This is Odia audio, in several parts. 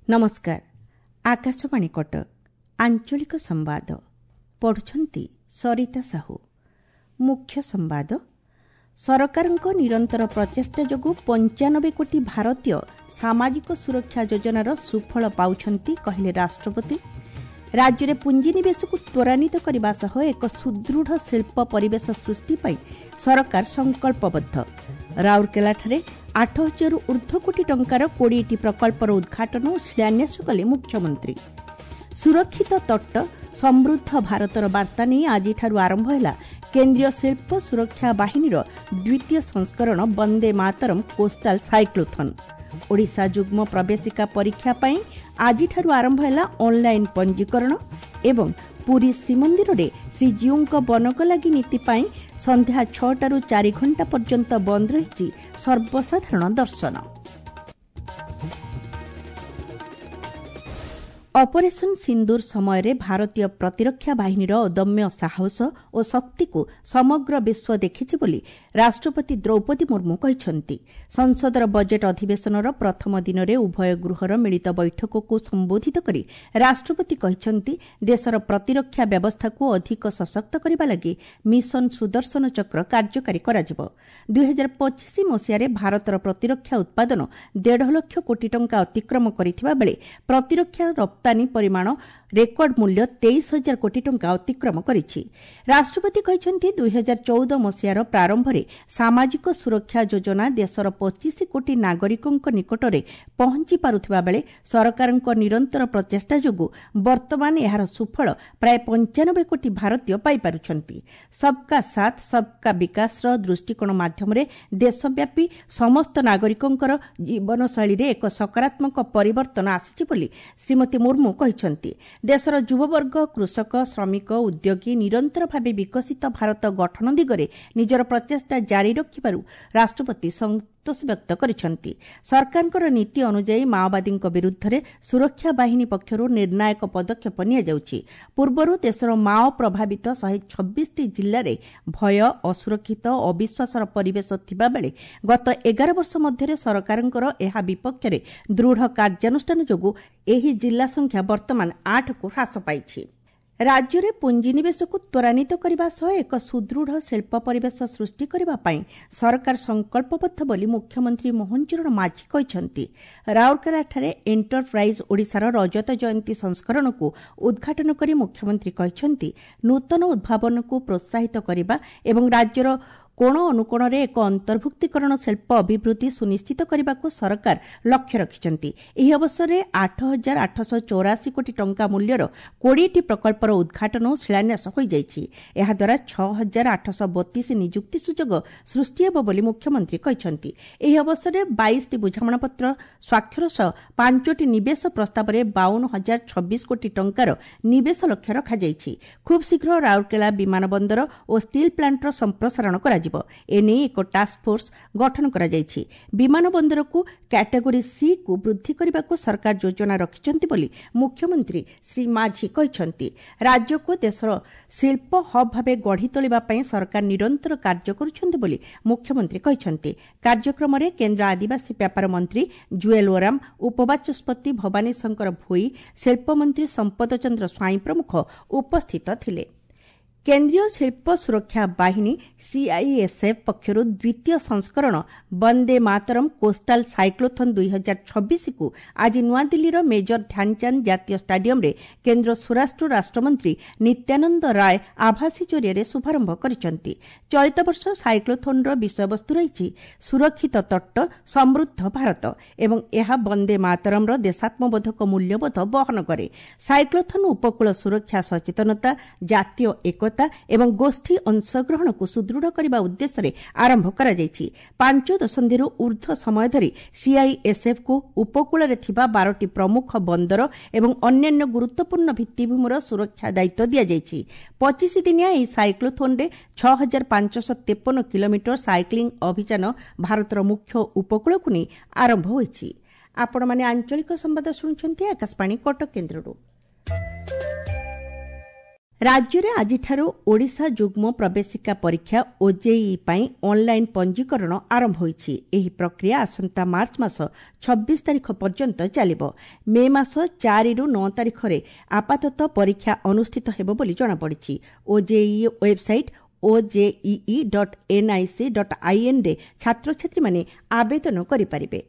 ନମସ୍କାର, ଆକାଶବାଣୀ କଟକ, ଆଞ୍ଚଳିକ ସମ୍ବାଦ ପଢୁଛନ୍ତି ସରିତା ସାହୁ। ମୁଖ୍ୟ ସମ୍ବାଦ। ସରକାରଙ୍କ ନିରନ୍ତର ପ୍ରଚେଷ୍ଟା ଯୋଗୁଁ 95 କୋଟି ଭାରତୀୟ ସାମାଜିକ ସୁରକ୍ଷା ଯୋଜନାର ସୁଫଳ ପାଉଛନ୍ତି, କହିଲେ ରାଷ୍ଟ୍ରପତି। ରାଜ୍ୟରେ ପୁଞ୍ଜିନିବେଶକୁ ତ୍ୱରାନ୍ୱିତ କରିବା ସହ ଏକ ସୁଦୃଢ଼ ଶିଳ୍ପ ପରିବେଶ ସୃଷ୍ଟି ପାଇଁ ସରକାର ସଂକଳ୍ପବଦ୍ଧ। ରାଉରକେଲାଠାରେ 8 ହଜାରରୁ ଊର୍ଦ୍ଧ୍ୱ କୋଟି ଟଙ୍କାର 20ଟି ପ୍ରକଳ୍ପର ଉଦ୍ଘାଟନ ଓ ଶିଳାନ୍ୟାସ କଲେ ମୁଖ୍ୟମନ୍ତ୍ରୀ। ସୁରକ୍ଷିତ ତଟ ସମୃଦ୍ଧ ଭାରତର ବାର୍ତ୍ତା ନେଇ ଆଜିଠାରୁ ଆରମ୍ଭ ହେଲା କେନ୍ଦ୍ରୀୟ ଶିଳ୍ପ ସୁରକ୍ଷା ବାହିନୀର ଦ୍ୱିତୀୟ ସଂସ୍କରଣ ବନ୍ଦେ ମାତରମ୍ କୋଷ୍ଟାଲ ସାଇକ୍ଲୋଥନ୍। ଓଡ଼ିଶା ଯୁଗ୍ମ ପ୍ରବେଶିକା ପରୀକ୍ଷା ପାଇଁ ଆଜିଠାରୁ ଆରମ୍ଭ ହେଲା ଅନ୍ଲାଇନ୍ ପଞ୍ଜୀକରଣ ଏବଂ ପୁରୀ ଶ୍ରୀମନ୍ଦିରରେ ଶ୍ରୀଜୀଉଙ୍କ ବନକଲାଗି ନୀତି ପାଇଁ ସନ୍ଧ୍ୟା 6ଟାରୁ 4 ଘଣ୍ଟା ପର୍ଯ୍ୟନ୍ତ ବନ୍ଦ ରହିଛି ସର୍ବସାଧାରଣ ଦର୍ଶନ। ଅପରେସନ୍ ସିନ୍ଦୁର ସମୟରେ ଭାରତୀୟ ପ୍ରତିରକ୍ଷା ବାହିନୀର ଅଦମ୍ୟ ସାହସ ଓ ଶକ୍ତିକୁ ସମଗ୍ର ବିଶ୍ୱ ଦେଖିଛି ବୋଲି ରାଷ୍ଟ୍ରପତି ଦ୍ରୌପଦୀ ମୁର୍ମୁ କହିଛନ୍ତି। ସଂସଦର ବଜେଟ୍ ଅଧିବେଶନର ପ୍ରଥମ ଦିନରେ ଉଭୟ ଗୃହର ମିଳିତ ବୈଠକକୁ ସମ୍ବୋଧିତ କରି ରାଷ୍ଟ୍ରପତି କହିଛନ୍ତି, ଦେଶର ପ୍ରତିରକ୍ଷା ବ୍ୟବସ୍ଥାକୁ ଅଧିକ ସଶକ୍ତ କରିବା ଲାଗି ମିଶନ ସୁଦର୍ଶନ ଚକ୍ର କାର୍ଯ୍ୟକାରୀ କରାଯିବ। 2025 ମସିହାରେ ଭାରତର ପ୍ରତିରକ୍ଷା ଉତ୍ପାଦନ 1.5 ଲକ୍ଷ କୋଟି ଟଙ୍କା ଅତିକ୍ରମ କରିଥିବା ବେଳେ ପ୍ରତିରକ୍ଷା ରପ୍ତାନୀ ପରିମାଣ ରେକର୍ଡ ମୂଲ୍ୟ 23 ହଜାର କୋଟି ଟଙ୍କା ଅତିକ୍ରମ କରିଛି। ରାଷ୍ଟ୍ରପତି କହିଛନ୍ତି, 2014 ମସିହାର ପ୍ରାରମ୍ଭରେ ସାମାଜିକ ସୁରକ୍ଷା ଯୋଜନା ଦେଶର 25 କୋଟି ନାଗରିକଙ୍କ ନିକଟରେ ପହଞ୍ଚି ପାରୁଥିବା ବେଳେ ସରକାରଙ୍କ ନିରନ୍ତର ପ୍ରଚେଷ୍ଟା ଯୋଗୁଁ ବର୍ତ୍ତମାନ ଏହାର ସୁଫଳ ପ୍ରାୟ 95 କୋଟି ଭାରତୀୟ ପାଇପାରୁଛନ୍ତି। ସବ୍କା ସାଥ୍ ସବ୍କା ବିକାଶର ଦୃଷ୍ଟିକୋଣ ମାଧ୍ୟମରେ ଦେଶବ୍ୟାପୀ ସମସ୍ତ ନାଗରିକଙ୍କର ଜୀବନଶୈଳୀରେ ଏକ ସକାରାତ୍ମକ ପରିବର୍ତ୍ତନ ଆସିଛି ବୋଲି ଶ୍ରୀମତୀ ମୁର୍ମୁ କହିଛନ୍ତି। ଦେଶର ଯୁବବର୍ଗ, କୃଷକ, ଶ୍ରମିକ, ଉଦ୍ୟୋଗୀ ନିରନ୍ତର ଭାବେ ବିକଶିତ ଭାରତ ଗଠନ ଦିଗରେ ନିଜର ପ୍ରଚେଷ୍ଟା ଜାରି ରଖିବାରୁ ରାଷ୍ଟ୍ରପତି ସନ୍ତୋଷ ବ୍ୟକ୍ତ କରିଛନ୍ତି। ସରକାରଙ୍କର ନୀତି ଅନୁଯାୟୀ ମାଓବାଦୀଙ୍କ ବିରୁଦ୍ଧରେ ସୁରକ୍ଷା ବାହିନୀ ପକ୍ଷରୁ ନିର୍ଣ୍ଣାୟକ ପଦକ୍ଷେପ ନିଆଯାଉଛି। ପୂର୍ବରୁ ଦେଶର ମାଓ ପ୍ରଭାବିତ 126ଟି ଜିଲ୍ଲାରେ ଭୟ, ଅସୁରକ୍ଷିତ, ଅବିଶ୍ୱାସର ପରିବେଶ ଥିବାବେଳେ ଗତ 11 ବର୍ଷ ମଧ୍ୟରେ ସରକାରଙ୍କର ଏହା ବିପକ୍ଷରେ ଦୃଢ଼ କାର୍ଯ୍ୟାନୁଷ୍ଠାନ ଯୋଗୁଁ ଏହି ଜିଲ୍ଲା ସଂଖ୍ୟା ବର୍ତ୍ତମାନ 8କୁ ହ୍ରାସ ପାଇଛି। ରାଜ୍ୟରେ ପୁଞ୍ଜିନିବେଶକୁ ତ୍ୱରାନ୍ୱିତ କରିବା ସହ ଏକ ସୁଦୃଢ଼ ଶିଳ୍ପ ପରିବେଶ ସୃଷ୍ଟି କରିବା ପାଇଁ ସରକାର ସଂକଳ୍ପବଦ୍ଧ ବୋଲି ମୁଖ୍ୟମନ୍ତ୍ରୀ ମୋହନ ଚରଣ ମାଝୀ କହିଛନ୍ତି। ରାଉରକେଲାଠାରେ ଏଣ୍ଟରପ୍ରାଇଜ୍ ଓଡ଼ିଶାର ରଜତ ଜୟନ୍ତୀ ସଂସ୍କରଣକୁ ଉଦ୍ଘାଟନ କରି ମୁଖ୍ୟମନ୍ତ୍ରୀ କହିଛନ୍ତି, ନୂତନ ଉଦ୍ଭାବନକୁ ପ୍ରୋତ୍ସାହିତ କରିବା ଏବଂ ରାଜ୍ୟର କୋଣ ଅନୁକୋଣରେ ଏକ ଅନ୍ତର୍ଭୁକ୍ତୀକରଣ ଶିଳ୍ପ ଅଭିବୃଦ୍ଧି ସୁନିଶ୍ଚିତ କରିବାକୁ ସରକାର ଲକ୍ଷ୍ୟ ରଖିଛନ୍ତି। ଏହି ଅବସରରେ 8884 କୋଟି ଟଙ୍କା ମୂଲ୍ୟର 20ଟି ପ୍ରକଳ୍ପର ଉଦ୍ଘାଟନ ଓ ଶିଳାନ୍ୟାସ ହୋଇଯାଇଛି। ଏହାଦ୍ୱାରା 6832 ନିଯୁକ୍ତି ସୁଯୋଗ ସୃଷ୍ଟି ହେବ ବୋଲି ମୁଖ୍ୟମନ୍ତ୍ରୀ କହିଛନ୍ତି। ଏହି ଅବସରରେ 22ଟି ବୁଝାମଣାପତ୍ର ସ୍ୱାକ୍ଷର ସହ 5ଟି ନିବେଶ ପ୍ରସ୍ତାବରେ 52,026 କୋଟି ଟଙ୍କାର ନିବେଶ ଲକ୍ଷ୍ୟ ରଖାଯାଇଛି। ଖୁବ୍ ଶୀଘ୍ର ରାଉରକେଲା ବିମାନ ବନ୍ଦର ଓ ଷ୍ଟିଲ୍ ପ୍ଲାଣ୍ଟର ସମ୍ପ୍ରସାରଣ କରାଯିବ। ଏନେଇ ଏକ ଟାସ୍କଫୋର୍ସ ଗଠନ କରାଯାଇଛି। ବିମାନ ବନ୍ଦରକୁ କ୍ୟାଟେଗୋରୀ ସି କୁ ବୃଦ୍ଧି କରିବାକୁ ସରକାର ଯୋଜନା ରଖିଛନ୍ତି ବୋଲି ମୁଖ୍ୟମନ୍ତ୍ରୀ ଶ୍ରୀ ମାଝୀ କହିଛନ୍ତି। ରାଜ୍ୟକୁ ଦେଶର ଶିଳ୍ପ ହବ୍ ଭାବେ ଗଢ଼ି ତୋଳିବା ପାଇଁ ସରକାର ନିରନ୍ତର କାର୍ଯ୍ୟ କରୁଛନ୍ତି ବୋଲି ମୁଖ୍ୟମନ୍ତ୍ରୀ କହିଛନ୍ତି। କାର୍ଯ୍ୟକ୍ରମରେ କେନ୍ଦ୍ର ଆଦିବାସୀ ବ୍ୟାପାର ମନ୍ତ୍ରୀ ଜୁଏଲ ଓରାମ, ଉପବାଚସ୍ପତି ଭବାନୀ ଶଙ୍କର ଭୋଇ, ଶିଳ୍ପମନ୍ତ୍ରୀ ସମ୍ପଦ ଚନ୍ଦ୍ର ସ୍ୱାଇଁ ପ୍ରମୁଖ ଉପସ୍ଥିତ ଥିଲେ। କେନ୍ଦ୍ରୀୟ ଶିଳ୍ପ ସୁରକ୍ଷା ବାହିନୀ ସିଆଇଏସ୍ଏଫ୍ ପକ୍ଷରୁ ଦ୍ୱିତୀୟ ସଂସ୍କରଣ ବନ୍ଦେ ମାତରମ୍ କୋଷ୍ଟାଲ ସାଇକ୍ଲୋଥନ୍ 2026କୁ ଆଜି ନୂଆଦିଲ୍ଲୀର ମେଜର ଧ୍ୟାନଚାନ୍ଦ ଜାତୀୟ ଷ୍ଟାଡିୟମ୍ରେ କେନ୍ଦ୍ର ସ୍ୱରାଷ୍ଟ୍ର ରାଷ୍ଟ୍ରମନ୍ତ୍ରୀ ନିତ୍ୟାନନ୍ଦ ରାୟ ଆଭାସୀ ଜରିଆରେ ଶୁଭାରମ୍ଭ କରିଛନ୍ତି। ଚଳିତ ବର୍ଷ ସାଇକ୍ଲୋଥନ୍ର ବିଷୟବସ୍ତୁ ରହିଛି ସୁରକ୍ଷିତ ତଟ ସମୃଦ୍ଧ ଭାରତ ଏବଂ ଏହା ବନ୍ଦେ ମାତରମ୍ର ଦେଶାତ୍ମବୋଧକ ମୂଲ୍ୟବୋଧ ବହନ କରେ। ସାଇକ୍ଲୋଥନ୍ ଉପକୂଳ ସୁରକ୍ଷା ସଚେତନତା, ଜାତୀୟ ଏକତା ଏବଂ ଗୋଷ୍ଠୀ ଅଂଶଗ୍ରହଣକୁ ସୁଦୃଢ଼ କରିବା ଉଦ୍ଦେଶ୍ୟରେ ଆରମ୍ଭ କରାଯାଇଛି। 5 ଦଶନ୍ଧିରୁ ଊର୍ଦ୍ଧ୍ୱ ସମୟ ଧରି ସିଆଇଏସ୍ଏଫ୍କୁ ଉପକୂଳରେ ଥିବା 12ଟି ପ୍ରମୁଖ ବନ୍ଦର ଏବଂ ଅନ୍ୟାନ୍ୟ ଗୁରୁତ୍ୱପୂର୍ଣ୍ଣ ଭିତ୍ତିଭୂମିର ସୁରକ୍ଷା ଦାୟିତ୍ୱ ଦିଆଯାଇଛି। 25 ଦିନିଆ ଏହି ସାଇକ୍ଲୋଥନ୍ରେ 6553 କିଲୋମିଟର ସାଇକ୍ଲିଂ ଅଭିଯାନ ଭାରତର ମୁଖ୍ୟ ଉପକୂଳକୁ ନେଇ ଆରମ୍ଭ ହୋଇଛି। ଆପଣମାନେ ଆଞ୍ଚଳିକ ସମ୍ବାଦ ଶୁଣୁଛନ୍ତି ଆକାଶବାଣୀ କଟକ କେନ୍ଦ୍ରରୁ। ରାଜ୍ୟରେ ଆଜିଠାରୁ ଓଡ଼ିଶା ଯୁଗ୍ମ ପ୍ରବେଶିକା ପରୀକ୍ଷା ଓଜେଇଇ ପାଇଁ ଅନ୍ଲାଇନ୍ ପଞ୍ଜୀକରଣ ଆରମ୍ଭ ହୋଇଛି। ଏହି ପ୍ରକ୍ରିୟା ଆସନ୍ତା ମାର୍ଚ୍ଚ ମାସ 26 ତାରିଖ ପର୍ଯ୍ୟନ୍ତ ଚାଲିବ। ମେ ମାସ 4ରୁ 9 ତାରିଖରେ ଆପାତତଃ ପରୀକ୍ଷା ଅନୁଷ୍ଠିତ ହେବ ବୋଲି ଜଣାପଡ଼ିଛି। ଓଜେଇଇ ୱେବ୍ସାଇଟ୍ ojee.nic.in ରେ ଛାତ୍ରଛାତ୍ରୀମାନେ ଆବେଦନ କରିପାରିବେ।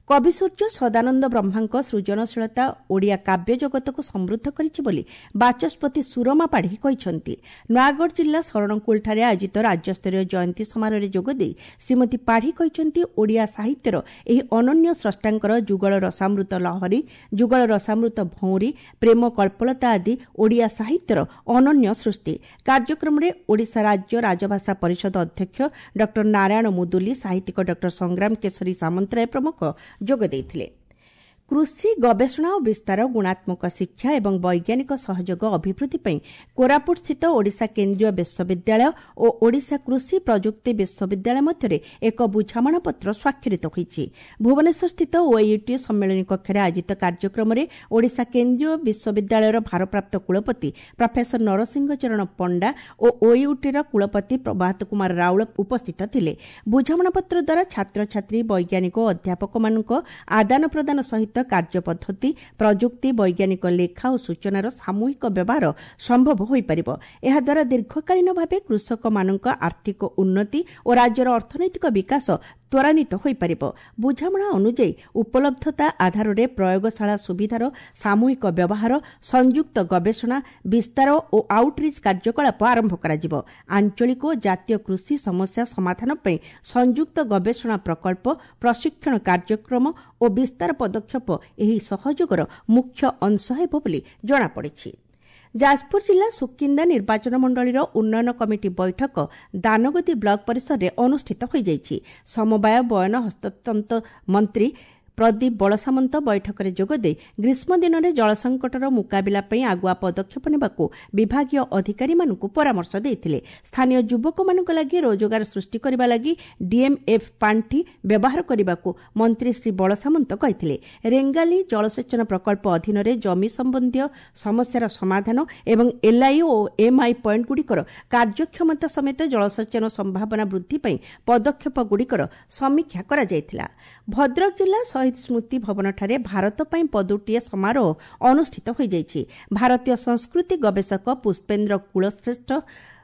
କବିସୂର୍ଯ୍ୟ ସଦାନନ୍ଦ ବ୍ରହ୍ମାଙ୍କ ସୃଜନଶୀଳତା ଓଡ଼ିଆ କାବ୍ୟ ଜଗତକୁ ସମୃଦ୍ଧ କରିଛି ବୋଲି ବାଚସ୍ପତି ସୁରମା ପାଢ଼ୀ କହିଛନ୍ତି। ନୟାଗଡ଼ ଜିଲ୍ଲା ଶରଣକୁଳଠାରେ ଆୟୋଜିତ ରାଜ୍ୟସ୍ତରୀୟ ଜୟନ୍ତୀ ସମାରୋହରେ ଯୋଗଦେଇ ଶ୍ରୀମତୀ ପାଢ଼ୀ କହିଛନ୍ତି, ଓଡ଼ିଆ ସାହିତ୍ୟର ଏହି ଅନନ୍ୟ ସ୍ରଷ୍ଟାଙ୍କର ଯୁଗଳ ରସାମୃତ ଲହରୀ, ଯୁଗଳ ରସାମୃତ ଭଉଁରୀ, ପ୍ରେମ କଳ୍ପଲତା ଆଦି ଓଡ଼ିଆ ସାହିତ୍ୟର ଅନନ୍ୟ ସୃଷ୍ଟି। କାର୍ଯ୍ୟକ୍ରମରେ ଓଡ଼ିଶା ରାଜ୍ୟ ରାଜଭାଷା ପରିଷଦ ଅଧ୍ୟକ୍ଷ ଡକ୍ଟର ନାରାୟଣ ମୁଦୁଲି, ସାହିତ୍ୟିକ ଡକ୍ଟର ସଂଗ୍ରାମ କେଶରୀ ସାମନ୍ତରାୟ ପ୍ରମୁଖ ଯୋଗ ଦେଇଥିଲେ। କୃଷି ଗବେଷଣା ଓ ବିସ୍ତାର, ଗୁଣାତ୍ମକ ଶିକ୍ଷା ଏବଂ ବୈଜ୍ଞାନିକ ସହଯୋଗ ଅଭିବୃଦ୍ଧି ପାଇଁ କୋରାପୁଟସ୍ଥିତ ଓଡ଼ିଶା କେନ୍ଦ୍ରୀୟ ବିଶ୍ୱବିଦ୍ୟାଳୟ ଓ ଓଡ଼ିଶା କୃଷି ପ୍ରଯୁକ୍ତି ବିଶ୍ୱବିଦ୍ୟାଳୟ ମଧ୍ୟରେ ଏକ ବୁଝାମଣାପତ୍ର ସ୍ୱାକ୍ଷରିତ ହୋଇଛି। ଭୁବନେଶ୍ୱରସ୍ଥିତ ଓୟୁଟି ସମ୍ମିଳନୀ କକ୍ଷରେ ଆୟୋଜିତ କାର୍ଯ୍ୟକ୍ରମରେ ଓଡ଼ିଶା କେନ୍ଦ୍ରୀୟ ବିଶ୍ୱବିଦ୍ୟାଳୟର ଭାରପ୍ରାପ୍ତ କୁଳପତି ପ୍ରଫେସର ନରସିଂହ ଚରଣ ପଣ୍ଡା ଓ ଓୟୁଟିର କୁଳପତି ପ୍ରଭାତ କୁମାର ରାଉଳ ଉପସ୍ଥିତ ଥିଲେ। ବୁଝାମଣାପତ୍ର ଦ୍ୱାରା ଛାତ୍ରଛାତ୍ରୀ, ବୈଜ୍ଞାନିକ ଓ ଅଧ୍ୟାପକମାନଙ୍କ ଆଦାନ ପ୍ରଦାନ ସହିତ କାର୍ଯ୍ୟପଦ୍ଧତି, ପ୍ରଯୁକ୍ତି, ବୈଜ୍ଞାନିକ ଲେଖା ଓ ସୂଚନାର ସାମୂହିକ ବ୍ୟବହାର ସମ୍ଭବ ହୋଇପାରିବ। ଏହାଦ୍ୱାରା ଦୀର୍ଘକାଳୀନ ଭାବେ କୃଷକମାନଙ୍କ ଆର୍ଥିକ ଉନ୍ନତି ଓ ରାଜ୍ୟର ଅର୍ଥନୈତିକ ବିକାଶ ତ୍ୱରାନ୍ୱିତ ହୋଇପାରିବ। ବୁଝାମଣା ଅନୁଯାୟୀ ଉପଲବ୍ଧତା ଆଧାରରେ ପ୍ରୟୋଗଶାଳା ସୁବିଧାର ସାମୂହିକ ବ୍ୟବହାର, ସଂଯୁକ୍ତ ଗବେଷଣା, ବିସ୍ତାର ଓ ଆଉଟରିଚ୍ କାର୍ଯ୍ୟକଳାପ ଆରମ୍ଭ କରାଯିବ। ଆଞ୍ଚଳିକ ଓ ଜାତୀୟ କୃଷି ସମସ୍ୟା ସମାଧାନ ପାଇଁ ସଂଯୁକ୍ତ ଗବେଷଣା ପ୍ରକଳ୍ପ, ପ୍ରଶିକ୍ଷଣ କାର୍ଯ୍ୟକ୍ରମ ଓ ବିସ୍ତାର ପଦକ୍ଷେପ ଏହି ସହଯୋଗର ମୁଖ୍ୟ ଅଂଶ ହେବ ବୋଲି ଜଣାପଡ଼ିଛି। ଯାଜପୁର ଜିଲ୍ଲା ସୁକିନ୍ଦା ନିର୍ବାଚନ ମଣ୍ଡଳୀର ଉନ୍ନୟନ କମିଟି ବୈଠକ ଦାନଗଦି ବ୍ଲକ ପରିସରରେ ଅନୁଷ୍ଠିତ ହୋଇଯାଇଛି। ସମବାୟ, ବୟନ, ହସ୍ତତନ୍ତ ମନ୍ତ୍ରୀ ପ୍ରଦୀପ ବଳସାମନ୍ତ ବୈଠକରେ ଯୋଗଦେଇ ଗ୍ରୀଷ୍ମ ଦିନରେ ଜଳସଙ୍କଟର ମୁକାବିଲା ପାଇଁ ଆଗୁଆ ପଦକ୍ଷେପ ନେବାକୁ ବିଭାଗୀୟ ଅଧିକାରୀମାନଙ୍କୁ ପରାମର୍ଶ ଦେଇଥିଲେ। ସ୍ଥାନୀୟ ଯୁବକମାନଙ୍କ ଲାଗି ରୋଜଗାର ସୃଷ୍ଟି କରିବା ଲାଗି ଡିଏମ୍ଏଫ୍ ପାଣ୍ଠି ବ୍ୟବହାର କରିବାକୁ ମନ୍ତ୍ରୀ ଶ୍ରୀ ବଳସାମନ୍ତ କହିଥିଲେ। ରେଙ୍ଗାଲି ଜଳସେଚନ ପ୍ରକଳ୍ପ ଅଧୀନରେ ଜମି ସମ୍ବନ୍ଧୀୟ ସମସ୍ୟାର ସମାଧାନ ଏବଂ ଏଲ୍ଆଇ ଓ ଏମ୍ଆଇ ପଏଣ୍ଟଗୁଡ଼ିକର କାର୍ଯ୍ୟକ୍ଷମତା ସମେତ ଜଳସେଚନ ସମ୍ଭାବନା ବୃଦ୍ଧି ପାଇଁ ପଦକ୍ଷେପଗୁଡ଼ିକର ସମୀକ୍ଷା କରାଯାଇଥିଲା। ଭଦ୍ରକ ଜିଲ୍ଲା ଶହୀଦ ସ୍ମୃତି ଭବନଠାରେ ଭାରତ ପାଇଁ ପଦୁଟିଏ ସମାରୋହ ଅନୁଷ୍ଠିତ ହୋଇଯାଇଛି। ଭାରତୀୟ ସଂସ୍କୃତି ଗବେଷକ ପୁଷ୍ପେନ୍ଦ୍ର କୁଳଶ୍ରେଷ୍ଠ,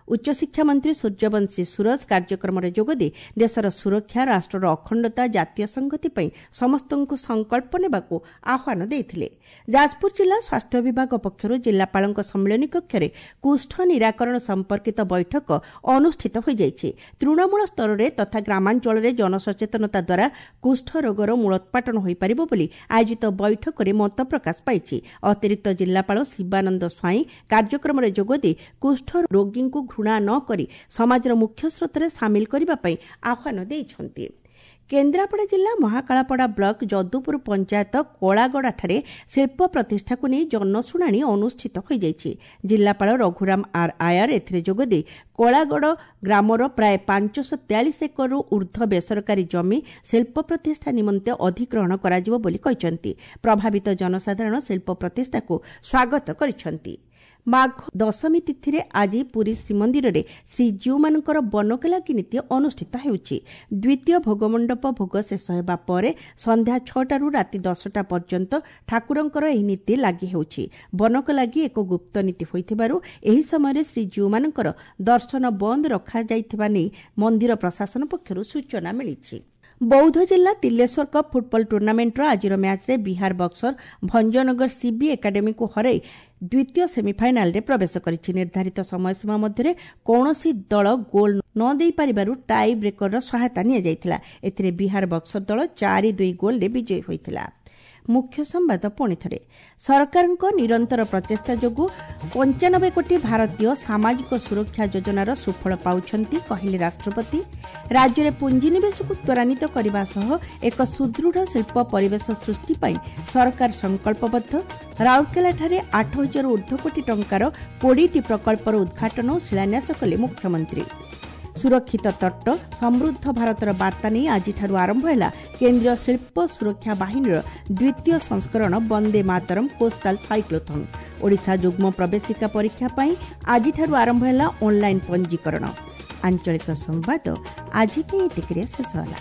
ଉଚ୍ଚଶିକ୍ଷା ମନ୍ତ୍ରୀ ସୂର୍ଯ୍ୟବଂଶୀ ସୁରଜ କାର୍ଯ୍ୟକ୍ରମରେ ଯୋଗଦେଇ ଦେଶର ସୁରକ୍ଷା, ରାଷ୍ଟ୍ରର ଅଖଣ୍ଡତା, ଜାତୀୟ ସଂହତି ପାଇଁ ସମସ୍ତଙ୍କୁ ସଂକଳ୍ପ ନେବାକୁ ଆହ୍ୱାନ ଦେଇଥିଲେ। ଯାଜପୁର ଜିଲ୍ଲା ସ୍ୱାସ୍ଥ୍ୟ ବିଭାଗ ପକ୍ଷରୁ ଜିଲ୍ଲାପାଳଙ୍କ ସମ୍ମିଳନୀ କକ୍ଷରେ କୁଷ୍ଠ ନିରାକରଣ ସମ୍ପର୍କିତ ବୈଠକ ଅନୁଷ୍ଠିତ ହୋଇଯାଇଛି। ତୃଣମୂଳ ସ୍ତରରେ ତଥା ଗ୍ରାମାଞ୍ଚଳରେ ଜନସଚେତନତା ଦ୍ୱାରା କୁଷ୍ଠ ରୋଗର ମୂଳୋତ୍ପାଟନ ହୋଇପାରିବ ବୋଲି ଆୟୋଜିତ ବୈଠକରେ ମତ ପ୍ରକାଶ ପାଇଛି। ଅତିରିକ୍ତ ଜିଲ୍ଲାପାଳ ଶିବାନନ୍ଦ ସ୍ୱାଇଁ କାର୍ଯ୍ୟକ୍ରମରେ ଯୋଗଦେଇ କୁଷ୍ଠ ରୋଗୀଙ୍କୁ ଘୃଣା ନ କରି ସମାଜର ମୁଖ୍ୟ ସ୍ରୋତରେ ସାମିଲ କରିବା ପାଇଁ ଆହ୍ୱାନ ଦେଇଛନ୍ତି। କେନ୍ଦ୍ରାପଡ଼ା ଜିଲ୍ଲା ମହାକାଳପଡ଼ା ବ୍ଲକ ଯଦୁପୁର ପଞ୍ଚାୟତ କଳାଗଡ଼ାଠାରେ ଶିଳ୍ପ ପ୍ରତିଷ୍ଠାକୁ ନେଇ ଜନଶୁଣାଣି ଅନୁଷ୍ଠିତ ହୋଇଯାଇଛି। ଜିଲ୍ଲାପାଳ ରଘୁରାମ ଆର୍ ଆୟାର ଏଥିରେ ଯୋଗଦେଇ କଳାଗଡ଼ ଗ୍ରାମର ପ୍ରାୟ 543 ଏକରରୁ ଉର୍ଦ୍ଧ୍ୱ ବେସରକାରୀ ଜମି ଶିଳ୍ପ ପ୍ରତିଷ୍ଠା ନିମନ୍ତେ ଅଧିଗ୍ରହଣ କରାଯିବ ବୋଲି କହିଛନ୍ତି। ପ୍ରଭାବିତ ଜନସାଧାରଣ ଶିଳ୍ପ ପ୍ରତିଷ୍ଠାକୁ ସ୍ୱାଗତ କରିଛନ୍ତି। ମାଘ ଦଶମୀ ତିଥିରେ ଆଜି ପୁରୀ ଶ୍ରୀମନ୍ଦିରରେ ଶ୍ରୀଜୀଉମାନଙ୍କର ବନକଲାଗି ନୀତି ଅନୁଷ୍ଠିତ ହେଉଛି। ଦ୍ୱିତୀୟ ଭୋଗମଣ୍ଡପ ଭୋଗ ଶେଷ ହେବା ପରେ ସନ୍ଧ୍ୟା 6ଟାରୁ ରାତି 10ଟା ପର୍ଯ୍ୟନ୍ତ ଠାକୁରଙ୍କର ଏହି ନୀତି ଲାଗି ହେଉଛି। ବନକଲାଗି ଏକ ଗୁପ୍ତ ନୀତି ହୋଇଥିବାରୁ ଏହି ସମୟରେ ଶ୍ରୀଜୀଉମାନଙ୍କର ଦର୍ଶନ ବନ୍ଦ ରଖାଯାଇଥିବା ନେଇ ମନ୍ଦିର ପ୍ରଶାସନ ପକ୍ଷରୁ ସୂଚନା ମିଳିଛି। ବୌଦ୍ଧ ଜିଲ୍ଲା ତିଲେଶ୍ୱର କପ୍ ଫୁଟବଲ ଟୁର୍ଣ୍ଣାମେଣ୍ଟର ଆଜିର ମ୍ୟାଚ୍ରେ ବିହାର ବକ୍ସର ଭଞ୍ଜନଗର ସିବି ଏକାଡେମୀକୁ ହରାଇ ଦ୍ୱିତୀୟ ସେମିଫାଇନାଲରେ ପ୍ରବେଶ କରିଛି। ନିର୍ଦ୍ଧାରିତ ସମୟସୀମା ମଧ୍ୟରେ କୌଣସି ଦଳ ଗୋଲ୍ ନ ଦେଇପାରିବାରୁ ଟାଇ ବ୍ରେକରର ସହାୟତା ନିଆଯାଇଥିଲା। ଏଥିରେ ବିହାର ବକ୍ସର ଦଳ 4-2 ଗୋଲ୍ରେ ବିଜୟୀ ହୋଇଥିଲା। ମୁଖ୍ୟ ସମ୍ବାଦ ପୁଣି ଥରେ। ସରକାରଙ୍କ ନିରନ୍ତର ପ୍ରଚେଷ୍ଟା ଯୋଗୁଁ 95 କୋଟି ଭାରତୀୟ ସାମାଜିକ ସୁରକ୍ଷା ଯୋଜନାର ସୁଫଳ ପାଉଛନ୍ତି, କହିଲେ ରାଷ୍ଟ୍ରପତି। ରାଜ୍ୟରେ ପୁଞ୍ଜିନିବେଶକୁ ତ୍ୱରାନ୍ୱିତ କରିବା ସହ ଏକ ସୁଦୃଢ଼ ଶିଳ୍ପ ପରିବେଶ ସୃଷ୍ଟି ପାଇଁ ସରକାର ସଂକଳ୍ପବଦ୍ଧ। ରାଉରକେଲାଠାରେ 8,000 ଉର୍ଦ୍ଧ୍ୱ କୋଟି ଟଙ୍କାର 20ଟି ପ୍ରକଳ୍ପର ଉଦ୍ଘାଟନ ଓ ଶିଳାନ୍ୟାସ କଲେ ମୁଖ୍ୟମନ୍ତ୍ରୀ। ସୁରକ୍ଷିତ ତଟ ସମୃଦ୍ଧ ଭାରତର ବାର୍ତ୍ତା ନେଇ ଆଜିଠାରୁ ଆରମ୍ଭ ହେଲା କେନ୍ଦ୍ରୀୟ ଶିଳ୍ପ ସୁରକ୍ଷା ବାହିନୀର ଦ୍ୱିତୀୟ ସଂସ୍କରଣ ବନ୍ଦେ ମାତରମ୍ କୋଷ୍ଟାଲ ସାଇକ୍ଲୋଥନ୍। ଓଡ଼ିଶା ଯୁଗ୍ମ ପ୍ରବେଶିକା ପରୀକ୍ଷା ପାଇଁ ଆଜିଠାରୁ ଆରମ୍ଭ ହେଲା ଅନ୍ଲାଇନ୍ ପଞ୍ଜୀକରଣ। ଆଞ୍ଚଳିକ ସମ୍ବାଦ ଆଜି ପାଇଁ ଏତିକିରେ ଶେଷ ହେଲା।